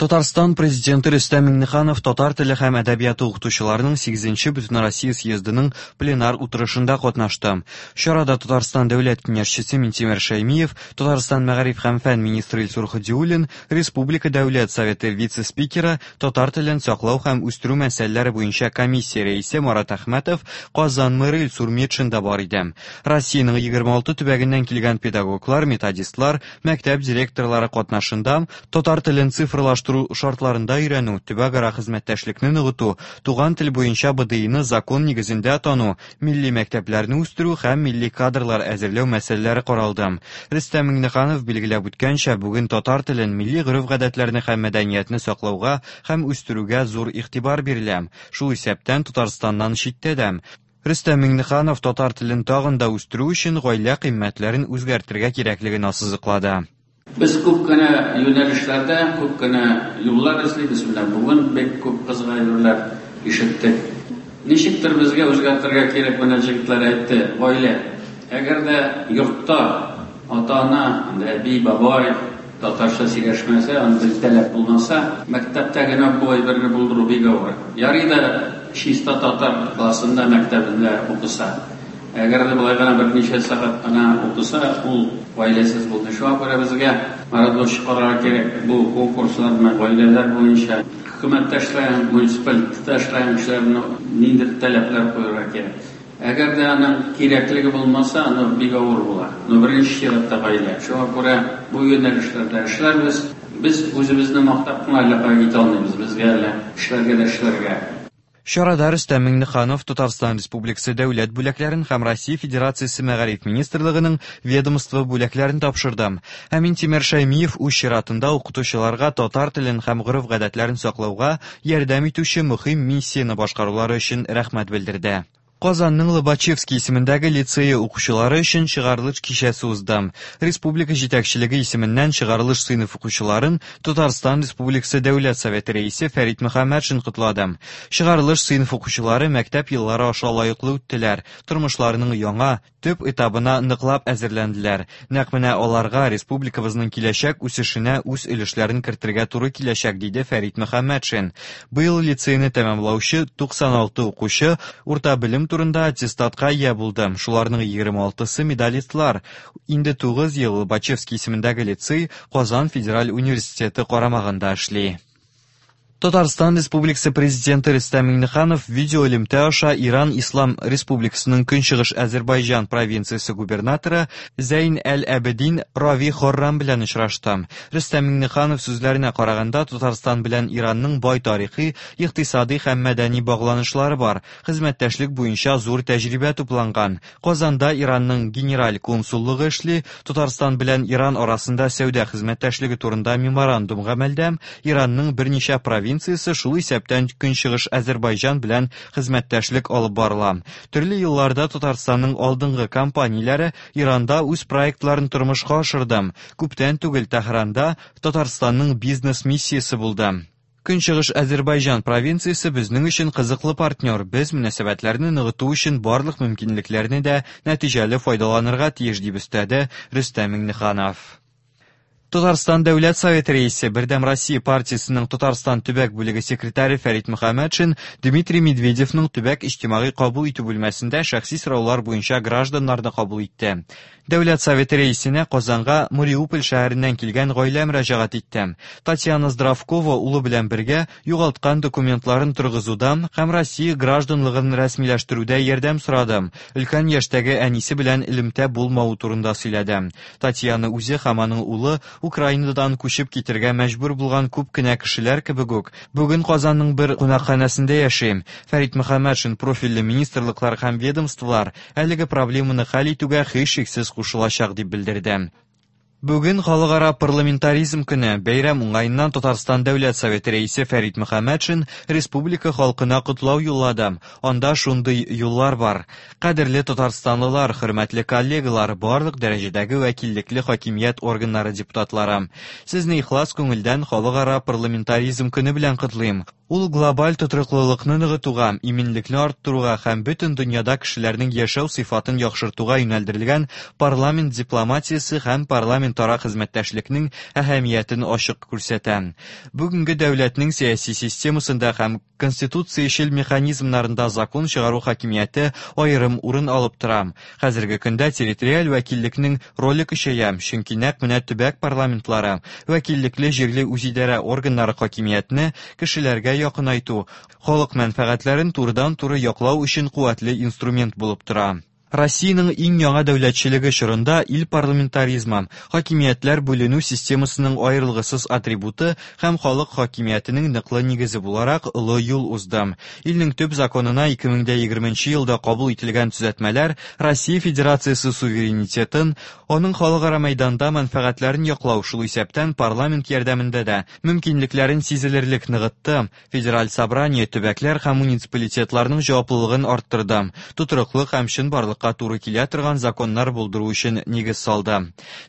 Татарстан Президенты Рөстәм Миңнеханов татар теле һәм әдәбияты укытучыларының 8-нче Бөтенроссия съездының пленар утырышында катнашты. Чарада Татарстан Дәүләт Киңәшчесе Минтимер Шәймиев, Татарстан мәгариф һәм фән министры Илсур Һадиуллин, Республика Дәүләт Советы вице-спикеры, татар телен саклау һәм үстерү мәсьәләләре буенча комиссия рәисе Марат Әхмәтов, Казан мэры Илсур Метшин да бар иде. Россиянең 26 төбәгеннән килгән педагоглар, методистлар, мәктәп директорлары катнашында татар телен цифрлаштыру шартларында өйрәнү, төбәкара хезмәттәшлекне ныгыту, туган тел буенча БДИны закон нигезендә тану, милли мәктәпләрне үстерү һәм милли кадрлар әзерләү мәсьәләләре каралды. Рөстәм Миңнеханов билгеләп үткәнчә, бүген татар телен, милли гореф-гадәтләрне һәм мәдәниятне саклауга һәм үстерүгә зур игътибар бирелә, шул исәптән Татарстаннан читтә дә. Рөстәм Миңнеханов татар телен тагын да үстерү өчен гаилә кыйммәтләрен үзгәртергә кирәклеген ассызыклады. Без күп кенә юнәлешләрдә күп кенә юллар эзлибез. Менә бүген бик күп кызык әйберләр ишеттек. Ничектер безгә үзгәртергә кирәк, менә җегетләр әйтте, гаилә. Әгәр дә йортта ата-ана, әби, бабай татарча сөйләшмәсә, андый таләп булмаса, мәктәптә генә бу әйберне булдыру бик авыр. Ярый да чиста татар классында, мәктәбендә укыса. Әгәр дә болай гына берничә сәгать кына укыса, ул гаиләсез булды. Шуңа күрә безгә Марат карарга кирәк бу конкурсларны гаиләләр буенча. Хөкүмәттә эшләгән, муниципалитетта эшләгән кешеләрне ниндидер таләпләр куярга кирәк. Әгәр дә аның кирәклеге булмаса, аны бик авыр була. Но беренче чиратта гаилә. Шуңа күрә бу юнәлешләрдә эшләрбез. Без үзебезне мактап кына әллә кая китә алмыйбыз. Безгә әле эшләргә дә эшләргә. Чарада Рөстәм Миңнеханов Татарстан Республикасы дәүләт бүләкләрен һәм Россия Федерациясе Мәгариф министрлыгының ведомство бүләкләрен тапшырды. Ә Минтимер Шәймиев үз чиратында укытучыларга татар телен һәм гореф-гадәтләрен саклауга ярдәм итүче мөһим миссияне башкарулары өчен рәхмәт белдерде. Казанның Лобачевский исемендәге лицее укучылары өчен чыгарылыш кичәсе узды. Республика җитәкчелеге исеменнән чыгарылыш сыйныф укучыларын Татарстан Республикасы Дәүләт Советы рәисе Фәрит Мөхәммәтшин котлады. Чыгарылыш сыйныф укучылары мәктәп еллары аша лаеклы үттеләр, тормышларының яңа, төп этабына ныклап әзерләнделәр. Нәкъ менә аларга республикабызның киләчәк үсешенә үз өлешләрен кертергә туры киләчәк, диде Фәрит Мөхәммәтшин. Быел лицейны тәмамлаучы 96 укучы урта белем турында аттестатка ия булды. Шуларның 26-сы медалистлар. Инде 9 ел Лобачевский исемендәге лицей Казан федераль университеты карамагында эшли. Татарстан Республикасы Президенты Рөстәм Миңнеханов видеоэлемтә аша Иран Ислам Республикасының Көнчыгыш Әзербайҗан провинциясе губернаторы Зәйн әл-Әбедин Рави Хоррам белән очрашты. Рөстәм Миңнеханов сүзләренә караганда, Татарстан белән Иранның бай тарихи, икътисади һәм мәдәни багланышлары бар, хезмәттәшлек буенча зур тәҗрибә тупланган. Казанда Иранның генераль консуллыгы эшли, Татарстан белән Иран арасында сәүдә хезмәттәшлеге турында меморандум гамәлдә, Иранның берничә провинциясе, шул исәптән Көнчыгыш Әзербайҗан белән хезмәттәшлек алып барыла. Төрле елларда Татарстанның алдынгы компанияләре Иранда үз проектларын тормышка ашырды. Күптән түгел Тәһранда Татарстанның бизнес-миссиясе булды. Көнчыгыш Әзербайҗан провинциясе безнең өчен кызыклы партнер. Без мөнәсәбәтләрне ныгыту өчен барлык мөмкинлекләрне дә нәтиҗәле файдаланырга тиеш, дип өстәде Рөстәм Миңнеханов. Татарстан Дәүләт Советы рәисе, Бердәм Россия партиясенең Татарстан төбәк бүлеге секретаре Фәрит Мөхәммәтшин Дмитрий Медведевның төбәк иҗтимагый кабул итү бүлмәсендә шәхси сораулар буенча гражданнарны кабул итте. Дәүләт Советы рәисенә Казанга Мариуполь шәһәреннән килгән гаилә мөрәҗәгать итте. Татьяна Здравкова улы белән бергә югалткан документларын торгызуда һәм Россия гражданлыгын рәсмиләштерүдә ярдәм сорады. Өлкән яшьтәге әнисе белән элемтә булмавы турында сөйләде. Татьяна үзе һәм аның улы Украинадан күчеп китергә мәҗбүр булган күп кенә кешеләр кебек үк, бүген Казанның бер кунакханәсендә яши. Фәрит Мөхәммәтшин профильле министрлыклар һәм ведомстволар әлеге проблеманы хәл итүгә һичшиксез кушылачак дип белдерде. Бүген Халыкара парламентаризм көне. Бәйрәм уңаеннан Татарстан Дәүләт Советы рәисе Фәрит Мөхәммәтшин республика халкына котлау юллады. Анда шундый юллар бар. Кадерле татарстанлылар, хөрмәтле коллегалар, барлык дәрәҗәдәге вәкиллекле хакимият органнары депутатлары. Сезне ихлас күңелдән Халыкара парламентаризм көне белән котлыйм. Ул глобаль тотрыклылыкны ныгытуга, иминлекне арттыруга һәм бөтен дөньяда кешеләрнең яшәү сыйфатын яхшыртуга юнәлдерелгән парламент дипломатиясе һәм парламентара хезмәттәшлекнең әһәмиятен ачык күрсәтә. Бүгенге дәүләтнең сәяси системасында һәм конституциячел механизмнарында закон чыгару хакимияте аерым урын алып тора. Хәзерге көндә территориаль вәкиллекнең роле көчәя, чөнки нәкъ менә төбәк парламентлары, вәкиллекле җирле үзидарә органнары хакимиятне кешеләргә якынайту, халык мәнфәгатьләрен турыдан-туры яклау өчен куәтле инструмент булып тора. Россиянең иң яңа дәүләтчелеге чорында ил парламентаризмы, хакимиятләр бүленү системасының аерылгысыз атрибуты һәм халык хакимиятенең ныклы нигезе буларак олы юл узды. Илнең төп законына 2020 елда кабул ителгән төзәтмәләр Россия Федерациясе суверенитетын, аның халыкара мәйданда мәнфәгатьләрен яклау, шул исәптән парламент ярдәмендә дә, мөмкинлекләрен сизелерлек ныгытты, Федераль собрание төбәкләр һәм муниципалитетларның җаваплылыгын арттырды, тотрыклы һәм чынбарлыкка туры килә торган законнар булдыру өчен нигез салды.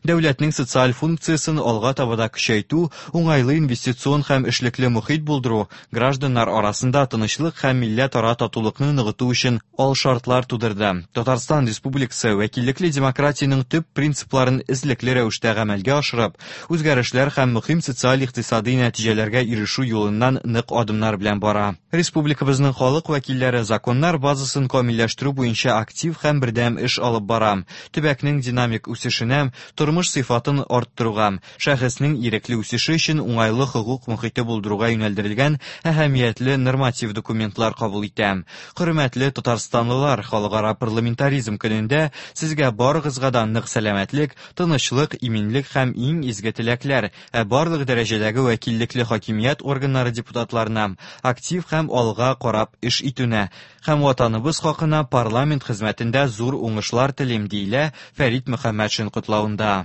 Дәүләтнең социаль функциясен алга таба да көчәйтү, уңайлы инвестицион һәм эшлекле мохит булдыру, гражданнар арасында тынычлык һәм милләтара татулыкны ныгыту өчен алшартлар тудырды. Татарстан Республикасы вәкиллекле демократиянең төп принципларын эзлекле рәвештә гамәлгә ашырып, үзгәрешләр һәм мөһим социаль-икътисади нәтиҗәләргә ирешү юлыннан нык адымнар белән бара. Республикабызның халык вәкилләре законнар базасын камилләштерү буенча актив һәм бердәм эш алып бара. Төбәкнең динамик үсешенә, тормыш сыйфатын арттыруга, шәхеснең ирекле үсеше өчен уңайлы хокук мохите булдыруга юнәлдерелгән әһәмиятле норматив документлар кабул итә. Хөрмәтле татарстанлылар, Халыкара парламентаризм көнендә сезгә барыгызга да нык сәламәтлек, тынычлык, иминлек һәм иң изге теләкләр, ә барлык дәрәҗәдәге вәкиллекле хакимият органнары депутатларына актив һәм алга карап эш итүне һәм Ватаныбыз хакына парламент хезмәтендә зур уңышлар телим, диелә Фәрит Мөхәммәтшин котлавында.